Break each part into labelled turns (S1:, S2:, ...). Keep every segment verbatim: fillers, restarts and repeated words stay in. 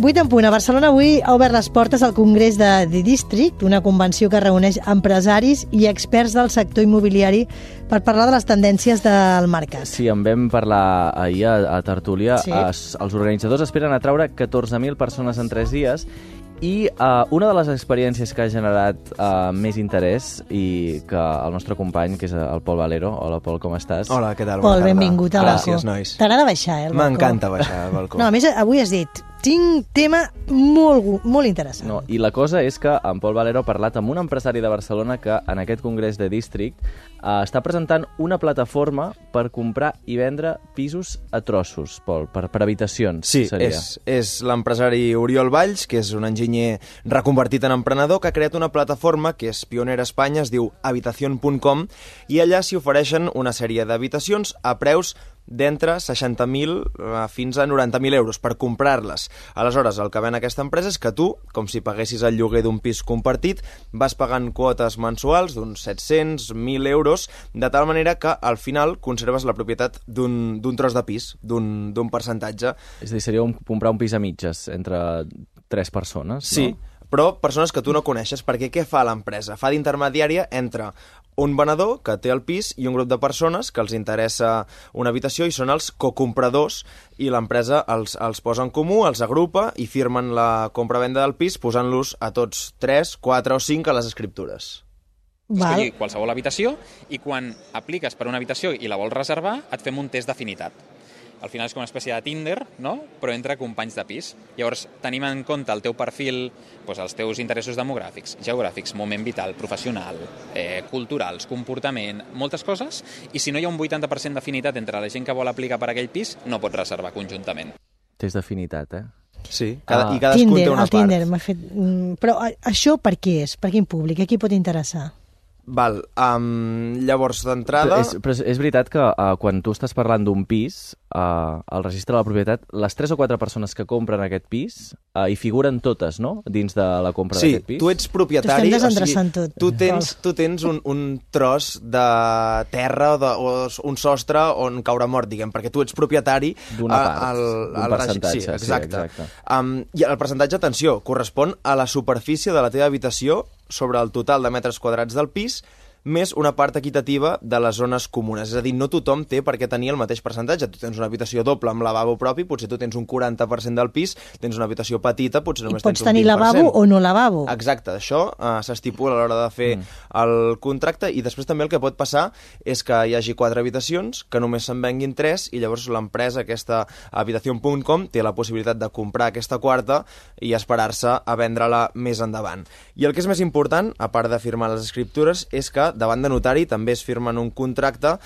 S1: vuit en punt. A Barcelona avui ha obert les portes al Congrés de The District, una convenció que reuneix empresaris i experts del sector immobiliari per parlar de les tendències del mercat.
S2: Sí, en vam parlar ahir a, a Tertúlia.
S1: Sí.
S2: Es, els organitzadors esperen atraure catorze mil persones en tres dies i uh, una de les experiències que ha generat uh, més interès i que el nostre company, que és el Pol Valero. Hola, Pol, com estàs?
S3: Hola, què tal?
S1: Pol, benvingut al balcó.
S3: Gràcies, nois.
S1: T'agrada baixar, eh, al balcó?
S3: M'encanta baixar al balcó.
S1: No, a més, avui has dit, tinc tema molt, molt interessant.
S2: No, i la cosa és que en Pol Valero ha parlat amb un empresari de Barcelona que en aquest congrés de District uh, està presentant una plataforma per comprar i vendre pisos a trossos, Pol, per, per habitacions.
S3: Sí,
S2: seria.
S3: és, és l'empresari Oriol Valls, que és un enginyer reconvertit en emprenedor, que ha creat una plataforma que és pionera a Espanya, es diu habitación punt com, i allà s'hi ofereixen una sèrie d'habitacions a preus d'entre seixanta mil fins a noranta mil euros per comprar-les. Aleshores, el que ven aquesta empresa és que tu, com si paguessis el lloguer d'un pis compartit, vas pagant quotes mensuals d'uns set-cents, mil euros, de tal manera que al final conserves la propietat d'un tros de pis, d'un percentatge.
S2: És a dir, seria un, comprar un pis a mitges entre tres persones,
S3: sí,
S2: no?
S3: Però persones que tu no coneixes, perquè què fa l'empresa? Fa d'intermediària entre un venedor que té el pis i un grup de persones que els interessa una habitació i són els cocompradors, i l'empresa els, els posa en comú, els agrupa i firmen la compra-venda del pis posant-los a tots tres, quatre o cinc a les escriptures.
S1: Val.
S4: Escolli qualsevol habitació i quan apliques per una habitació i la vols reservar et fem un test d'afinitat. Al final és com una espècie de Tinder, no? Però entre companys de pis. Llavors, tenim en compte el teu perfil, doncs, els teus interessos demogràfics, geogràfics, moment vital, professional, eh, culturals, comportament, moltes coses, i si no hi ha un vuitanta per cent d'afinitat entre la gent que vol aplicar per aquell pis, no pots reservar conjuntament.
S2: Test d'afinitat, eh?
S3: Sí, cada,
S2: ah.
S3: i cadascun
S1: Tinder,
S3: té una
S1: el Tinder,
S3: part.
S1: m'ha fet... Però això per què és? Per quin públic? A qui pot interessar?
S3: Val, um, llavors d'entrada...
S2: Però és, però és veritat que uh, quan tu estàs parlant d'un pis, uh, al registre de la propietat, les tres o quatre persones que compren aquest pis uh, hi figuren totes, no?, dins de la compra
S3: sí,
S2: d'aquest pis.
S3: Sí, tu ets propietari,
S1: o sigui, tot.
S3: tu tens, tu tens un, un tros de terra o, de, o un sostre on caure mort, diguem, perquè tu ets propietari
S2: d'una part, d'un percentatge.
S3: Sí, exacte.
S2: Sí, exacte.
S3: Um, I el percentatge, atenció, correspon a la superfície de la teva habitació sobre el total de metres quadrats del pis, més una part equitativa de les zones comunes. És a dir, no tothom té per què tenir el mateix percentatge. Tu tens una habitació doble amb lavabo propi, potser tu tens un quaranta per cent del pis, tens una habitació petita, potser només tens un vint per cent.
S1: I pots tenir lavabo o no lavabo.
S3: Exacte, això uh, s'estipula a l'hora de fer mm. el contracte, i després també el que pot passar és que hi hagi quatre habitacions, que només se'n venguin tres, i llavors l'empresa, aquesta habitación punt com, té la possibilitat de comprar aquesta quarta i esperar-se a vendre-la més endavant. I el que és més important, a part de firmar les escriptures, és que davant de notari també es firmen un contracte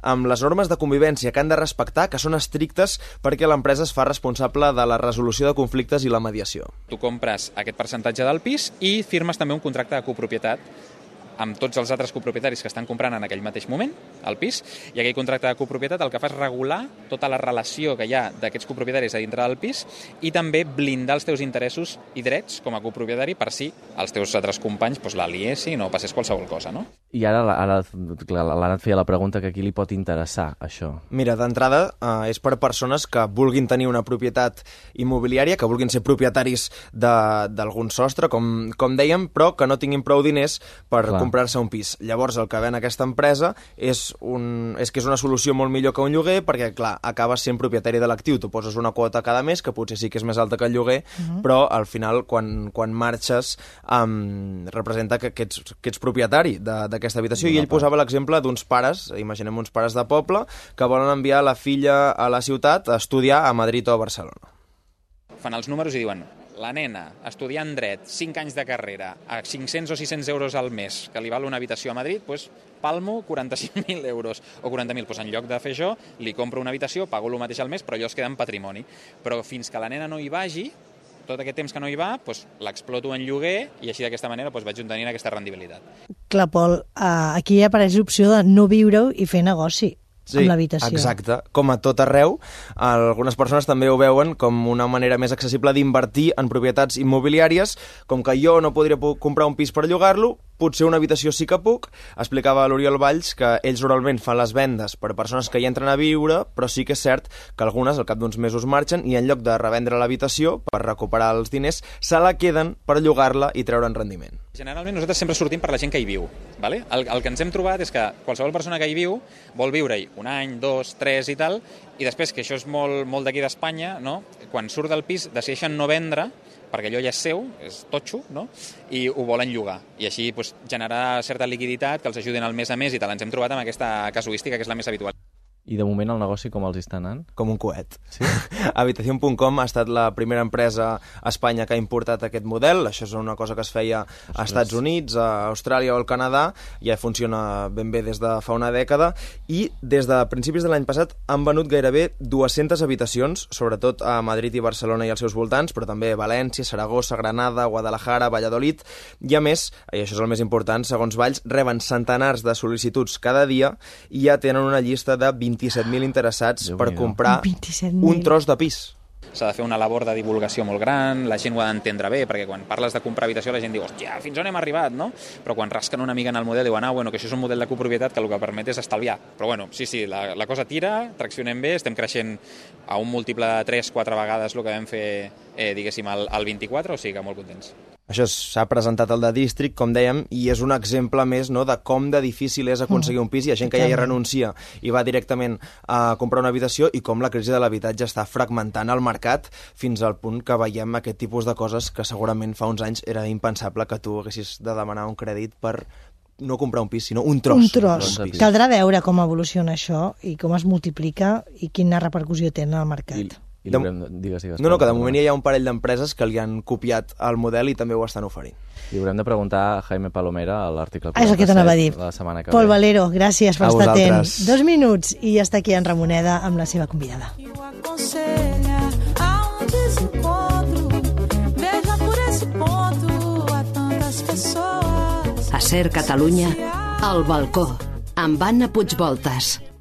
S3: amb les normes de convivència que han de respectar, que són estrictes perquè l'empresa es fa responsable de la resolució de conflictes i la mediació.
S4: Tu compres aquest percentatge del pis i firmes també un contracte de copropietat amb tots els altres copropietaris que estan comprant en aquell mateix moment el pis, i aquell contracte de copropietat el que fa és regular tota la relació que hi ha d'aquests copropietaris a dintre del pis i també blindar els teus interessos i drets com a copropietari per si els teus altres companys doncs, la liessin o passés qualsevol cosa, no?
S2: I ara, ara l'Anna et feia la pregunta que a qui li pot interessar això.
S3: Mira, d'entrada eh, és per persones que vulguin tenir una propietat immobiliària, que vulguin ser propietaris d'algun sostre, com, com dèiem, però que no tinguin prou diners per Clar. comprar-se un pis. Llavors, el que ven aquesta empresa és, un, és que és una solució molt millor que un lloguer, perquè, clar, acabes sent propietari de l'actiu. Tu poses una quota cada mes, que potser sí que és més alta que el lloguer, uh-huh. però al final, quan, quan marxes, um, representa que, que, ets, que ets propietari d'aquesta habitació. I ell posava l'exemple d'uns pares, imaginem uns pares de poble, que volen enviar la filla a la ciutat a estudiar a Madrid o a Barcelona.
S4: Fan els números i diuen: la nena, estudiant dret, cinc anys de carrera, a cinc-cents o sis-cents euros al mes, que li val una habitació a Madrid, doncs palmo quaranta-cinc mil euros o quaranta mil. Doncs en lloc de fer això, li compro una habitació, pago el mateix al mes, però allò es queda en patrimoni. Però fins que la nena no hi vagi, tot aquest temps que no hi va, doncs, l'exploto en lloguer i així d'aquesta manera doncs, vaig tenint aquesta rendibilitat.
S1: Clar, Pol, aquí apareix l'opció de no viure-ho i fer negoci.
S3: Sí,
S1: amb l'habitació.
S3: Exacte. Com a tot arreu, algunes persones també ho veuen com una manera més accessible d'invertir en propietats immobiliàries, com que jo no podria comprar un pis per llogar-lo, potser una habitació sí que puc. Explicava l'Oriol Valls que ells normalment fan les vendes per persones que hi entren a viure, però sí que és cert que algunes al cap d'uns mesos marxen i en lloc de revendre l'habitació per recuperar els diners, se la queden per llogar-la i treure'n rendiment.
S4: Generalment nosaltres sempre sortim per la gent que hi viu. Vale? El, el que ens hem trobat és que qualsevol persona que hi viu vol viure-hi un any, dos, tres i tal, i després, que això és molt, molt d'aquí d'Espanya, no? Quan surt del pis decideixen no vendre, perquè allò ja és seu, és totxo, no? I ho volen llogar. I així pues, generar certa liquiditat que els ajudin al mes a mes i tal. Ens hem trobat amb aquesta casuística, que és la més habitual.
S2: I de moment el negoci com els està anant?
S3: Com un coet.
S2: Sí?
S3: Habitación punt com ha estat la primera empresa a Espanya que ha importat aquest model. Això és una cosa que es feia a Estats Units, a Austràlia o al Canadà. Ja funciona ben bé des de fa una dècada. I des de principis de l'any passat han venut gairebé dues-centes habitacions, sobretot a Madrid i Barcelona i els seus voltants, però també València, Saragossa, Granada, Guadalajara, Valladolid. I a més, i això és el més important, segons Valls, reben centenars de sol·licituds cada dia i ja tenen una llista de vint-i-set mil interessats per comprar un tros de pis.
S4: S'ha de fer una labor de divulgació molt gran, la gent ho ha d'entendre bé, perquè quan parles de comprar habitació la gent diu, hòstia, fins on hem arribat, no? Però quan rasquen una mica en el model diuen, ah, bueno, que això és un model de copropietat que el que permet és estalviar. Però bueno, sí, sí, la, la cosa tira, traccionem bé, estem creixent a un múltiple de tres quatre vegades el que vam fer, eh, diguéssim, al, al vint-i-quatre, o sigui que molt contents.
S3: Això s'ha presentat al The District, com dèiem, i és un exemple més, no?, de com de difícil és aconseguir un pis. Hi ha gent que ja hi renuncia i va directament a comprar una habitació, i com la crisi de l'habitatge està fragmentant el mercat fins al punt que veiem aquest tipus de coses que segurament fa uns anys era impensable que tu haguessis de demanar un crèdit per no comprar un pis, sinó un tros.
S1: Un tros. Caldrà veure com evoluciona això i com es multiplica i quina repercussió té en el mercat.
S2: I... I de... digues, digues,
S3: no, no, que de moment hi ha un parell d'empreses que li han copiat el model i també ho estan oferint.
S2: I haurem de preguntar a Jaime Palomera a l'article
S1: quaranta-set, és el que t'anava a dir.
S2: La setmana que
S1: Pol
S2: ve.
S1: Valero, gràcies per
S3: a
S1: estar atent.
S3: vosaltres.
S1: Dos minuts i ja està aquí en Ramoneda amb la seva convidada.
S5: A Ser Catalunya, al balcó, amb Anna Puigvoltas.